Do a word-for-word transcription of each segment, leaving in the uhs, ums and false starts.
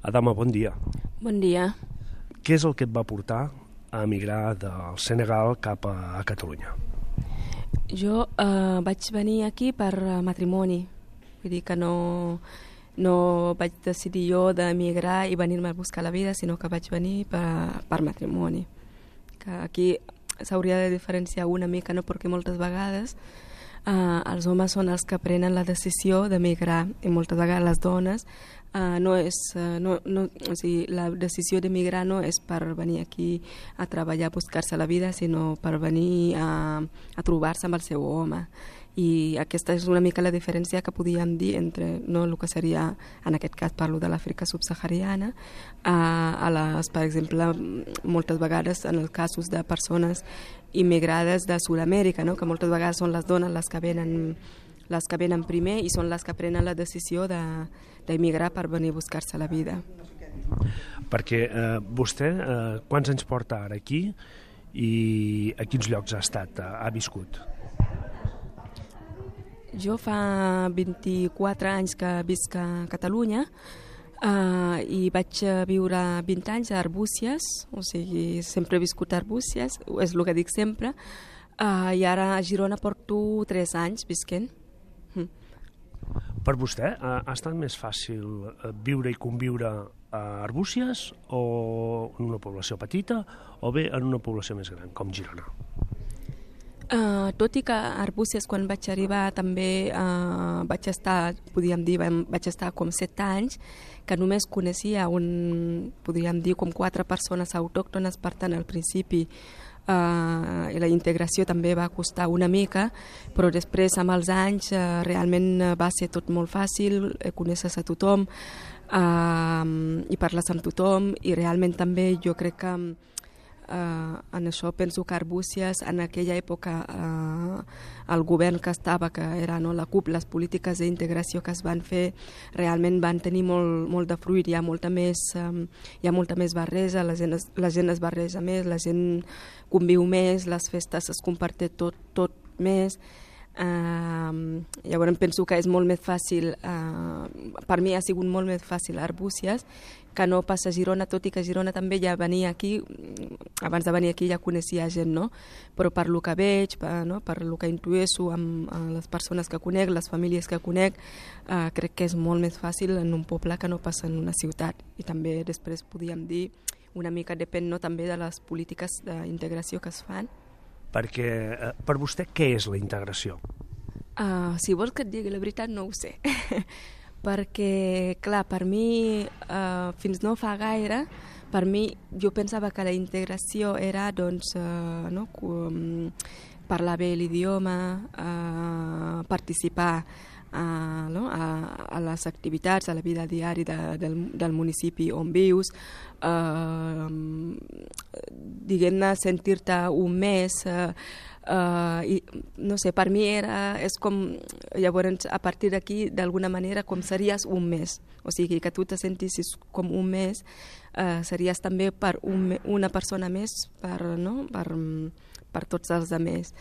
Adama, bon dia. Bon dia. Què és el que et va portar a emigrar del Senegal cap a Catalunya? Jo eh, vaig venir aquí per matrimoni, vull dir que no, no vaig decidir jo d'emigrar i venir-me a buscar la vida, sinó que vaig venir per, per matrimoni. Que aquí s'hauria de diferenciar una mica, no? Perquè moltes vegades eh, els homes són els que prenen la decisió d'emigrar i moltes vegades les dones Uh, no és, uh, no, no, o sigui, la decisió d'emigrar no és per venir aquí a treballar, a buscar-se la vida, sinó per venir a, a trobar-se amb el seu home. I aquesta és una mica la diferència que podíem dir entre no, el que seria, en aquest cas parlo de l'Àfrica subsahariana, a, a les, per exemple, moltes vegades en els casos de persones immigrades de Sud-amèrica, no? Que moltes vegades són les dones les que venen les que venen primer i són les que prenen la decisió d'emigrar de, per venir a buscar-se la vida. Perquè eh, vostè eh, quants anys porta ara aquí i a quins llocs ha estat, ha, ha viscut? Jo fa vint-i-quatre anys que visc a Catalunya eh, i vaig viure vint anys a Arbúcies, o sigui, sempre he viscut a Arbúcies, és el que dic sempre, eh, i ara a Girona porto tres anys visquent. Per vostè ha estat més fàcil viure i conviure a Arbúcies o en una població petita o bé en una població més gran, com Girona? Uh, tot i que a Arbúcies quan vaig arribar també uh, vaig estar, podríem dir, vaig estar com set anys, que només coneixia un, podríem dir, com quatre persones autòctones, per tant al principi Uh, i la integració també va costar una mica, però després amb els anys uh, realment va ser tot molt fàcil, eh, coneixes a tothom uh, i parles amb tothom i realment també jo crec que uh, en això penso que Arbúcies en aquella època uh, el govern que estava, que era no, la C U P, les polítiques d'integració que es van fer realment van tenir molt, molt de fruit, hi ha molta més, um, hi ha molta més barreja, la gent, es, la gent es barreja més, la gent conviu més, les festes es comparteix tot, tot més. Uh, llavors penso que és molt més fàcil, uh, per mi ha sigut molt més fàcil a Arbúcies que no pas a Girona, tot i que a Girona també ja venia aquí, abans de venir aquí ja coneixia gent, no? Però per lo que veig, per, no? per lo que intueixo amb, amb les persones que conec, les famílies que conec, uh, crec que és molt més fàcil en un poble que no passa en una ciutat. I també després podíem dir, una mica depèn no? també de les polítiques d'integració que es fan. Perquè eh, per vostè què és la integració? Uh, si vols que et digui la veritat no ho sé. Perquè, clar, per mi, uh, fins no fa gaire, per mi, jo pensava que la integració era, doncs, uh, no, um, parlar bé l'idioma, uh, participar uh, no, a, a les activitats, a la vida diària de, del, del municipi on vius, uh, diguem-ne, sentir-te un mes... Uh, Uh, i no sé, per mi era, és com, llavors a partir d'aquí d'alguna manera com series un mes, o sigui que tu te sentissis com un mes, uh, series també per un, una persona més per, no? per, per tots els altres.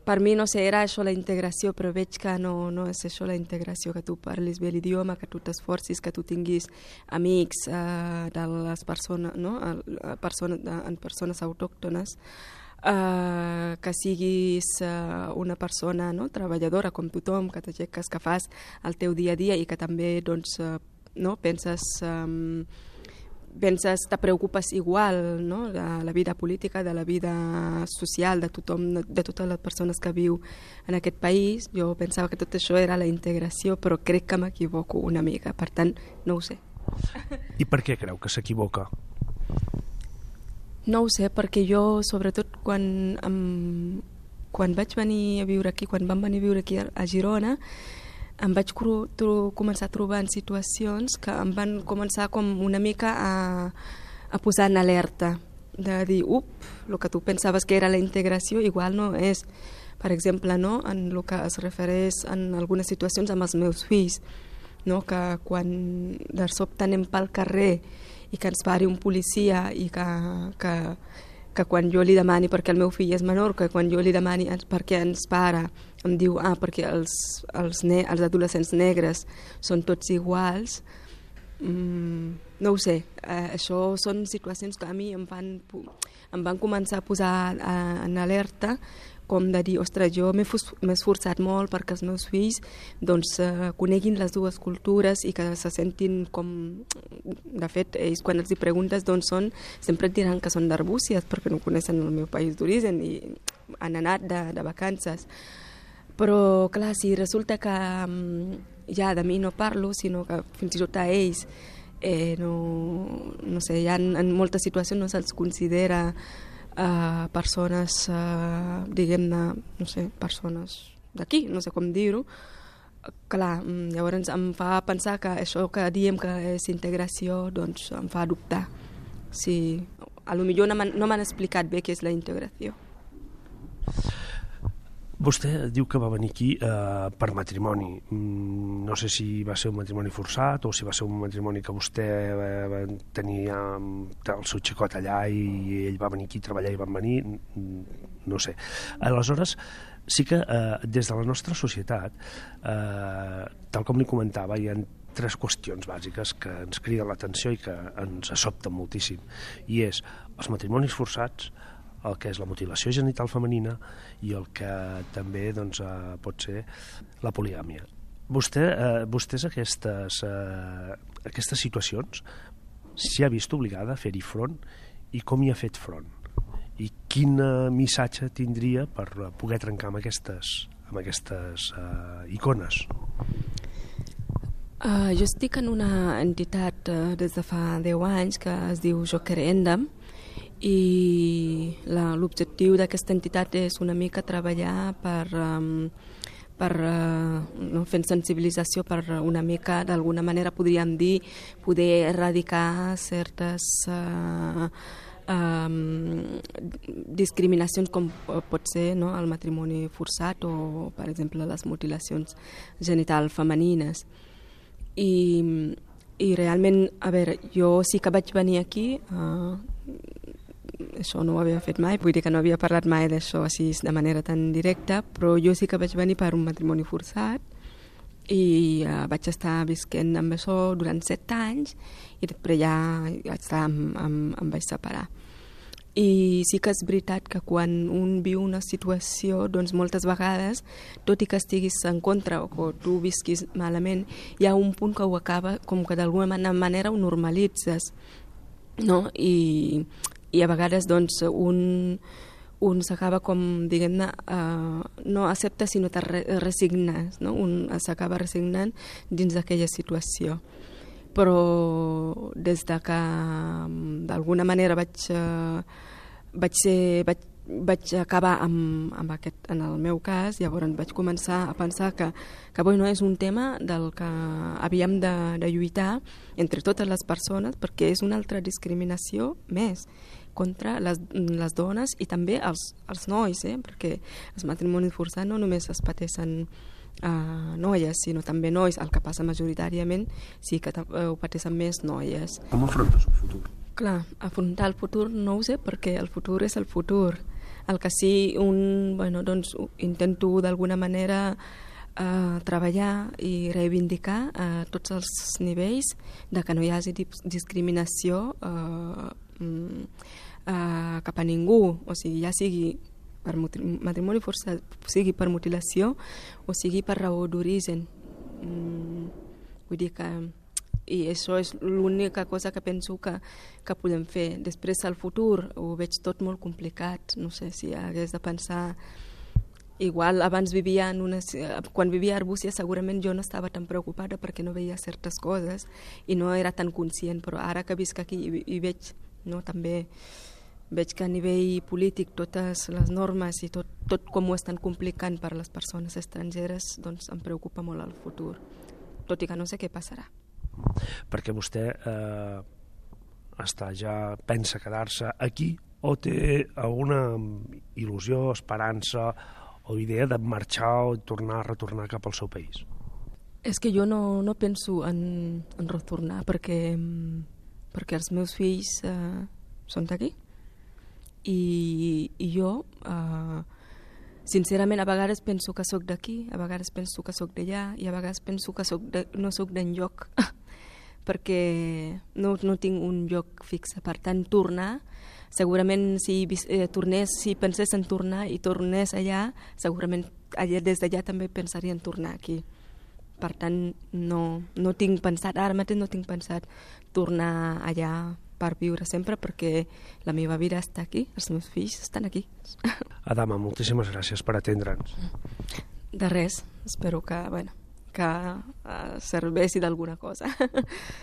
Per mi, no sé, era això la integració, però veig que no, no és això la integració, que tu parlis bé l'idioma, que tu t'esforcis, que tu tinguis amics uh, de les persones, no? a persona, de, en persones autòctones, Uh, que siguis uh, una persona no, treballadora com tothom, que t'aixeques, que fas el teu dia a dia i que també doncs, uh, no, penses, um, penses, te preocupes igual no, de la vida política, de la vida social de tothom, de totes les persones que viu en aquest país. Jo pensava que tot això era la integració, però crec que m'equivoco una mica, per tant no ho sé. I per què creu que s'equivoca? No ho sé, perquè jo, sobretot, quan, um, quan vaig venir a viure aquí, quan vam venir a viure aquí a Girona, em vaig cru, tro, començar a trobar en situacions que em van començar com una mica a, a posar en alerta, de dir, up, el que tu pensaves que era la integració, igual no és. Per exemple, no, en el que es refereix en algunes situacions amb els meus fills, no, que quan de sobte anem pel carrer i que ens pari un policia i que, que, que quan jo li demani perquè el meu fill és menor, que quan jo li demani perquè ens para, em diu, ah, perquè els, els, ne els adolescents negres són tots iguals, mm, no ho sé, uh, això són situacions que a mi em van, em van començar a posar uh, en alerta, com de dir, ostres, jo m'he esforçat molt perquè els meus fills doncs, eh, coneguin les dues cultures i que se sentin com... De fet, ells quan els hi preguntes d'on són, sempre et diran que són d'Arbúcies perquè no coneixen el meu país d'origen i han anat de, de vacances. Però, clar, si resulta que ja de mi no parlo, sinó que fins i tot a ells eh, no, no sé, ja en, en moltes situacions no se'ls considera Uh, persones, uh, diguem-ne, no sé, persones d'aquí, no sé com dir-ho. Clar, llavors em fa pensar que això que diem que és integració, doncs em fa dubtar. Si, a lo millor no m'han, no m'han explicat bé què és la integració. Vostè diu que va venir aquí eh, per matrimoni. Mm, no sé si va ser un matrimoni forçat o si va ser un matrimoni que vostè eh, va tenir eh, el seu xicot allà i ell va venir aquí a treballar i van venir. No sé. Aleshores, sí que eh, des de la nostra societat, eh, tal com li comentava, hi ha tres qüestions bàsiques que ens criden l'atenció i que ens sobten moltíssim. I és els matrimonis forçats, el que és la mutilació genital femenina i el que també doncs, eh, pot ser la poligàmia. Vostè, eh, vostès aquestes, eh, aquestes situacions s'hi ha vist obligada a fer-hi front i com hi ha fet front? I quin missatge tindria per poder trencar amb aquestes, amb aquestes eh, icones? Uh, jo estic en una entitat uh, des de fa deu anys que es diu Joker Endam, i l'objectiu d'aquesta entitat és una mica treballar per, um, per uh, no, fent sensibilització per una mica, d'alguna manera podríem dir, poder erradicar certes uh, um, discriminacions com pot ser no, el matrimoni forçat o, per exemple, les mutilacions genitals femenines. I, i realment, a veure, jo sí que vaig venir aquí, uh, això no ho havia fet mai, vull dir que no havia parlat mai d'això així de manera tan directa, però jo sí que vaig venir per un matrimoni forçat i uh, vaig estar visquent amb això durant set anys i després ja vaig estar, em, em, em vaig separar. I sí que és veritat que quan un viu una situació, doncs moltes vegades, tot i que estiguis en contra o que tu visquis malament, hi ha un punt que ho acaba, com que d'alguna manera ho normalitzes, no? I, i a vegades doncs un, un s'acaba com, diguem-ne, uh, no accepta sinó te re resignes, no? Un s'acaba resignant dins d'aquella situació. Però des de que d'alguna manera vaig, uh, vaig, ser, vaig, vaig acabar amb, amb aquest, en el meu cas, llavors vaig començar a pensar que, que bueno, és un tema del que havíem de, de lluitar entre totes les persones, perquè és una altra discriminació més contra les, les dones i també els, els nois, eh? Perquè els matrimonis forçats no només es pateixen uh, noies, sinó també nois. El que passa majoritàriament sí que ho pateixen més noies. Com afrontes el futur? Clar, afrontar el futur no ho sé, perquè el futur és el futur. El que sí, un, bueno, doncs, intento d'alguna manera uh, treballar i reivindicar a uh, tots els nivells de que no hi hagi discriminació uh, um, uh, cap a ningú, o sigui, ja sigui per matrimoni forçat, sigui per mutilació o sigui per raó d'origen. Mm, vull dir que i això és l'única cosa que penso que, que podem fer. Després, al futur, ho veig tot molt complicat. No sé si hagués de pensar... Igual abans vivia en una... Quan vivia a Arbúcies segurament jo no estava tan preocupada perquè no veia certes coses i no era tan conscient, però ara que visc aquí i, i veig, no, també veig que a nivell polític totes les normes i tot, tot com ho estan complicant per a les persones estrangeres, doncs em preocupa molt el futur, tot i que no sé què passarà. Perquè vostè eh, està ja pensa quedar-se aquí o té alguna il·lusió, esperança o idea de marxar o tornar a retornar cap al seu país? És que jo no, no penso en, en retornar perquè, perquè els meus fills eh, són d'aquí i, i jo eh, sincerament a vegades penso que sóc d'aquí, a vegades penso que sóc d'allà i a vegades penso que soc de, no sóc d'enlloc perquè no, no tinc un lloc fix. Per tant, tornar, segurament si eh, tornés, si pensés en tornar i tornés allà, segurament allà, des d'allà també pensaria en tornar aquí. Per tant, no, no tinc pensat, ara mateix no tinc pensat tornar allà per viure sempre, perquè la meva vida està aquí, els meus fills estan aquí. Adama, moltíssimes gràcies per atendre'ns. De res, espero que, bueno, que uh, serveixi d'alguna cosa.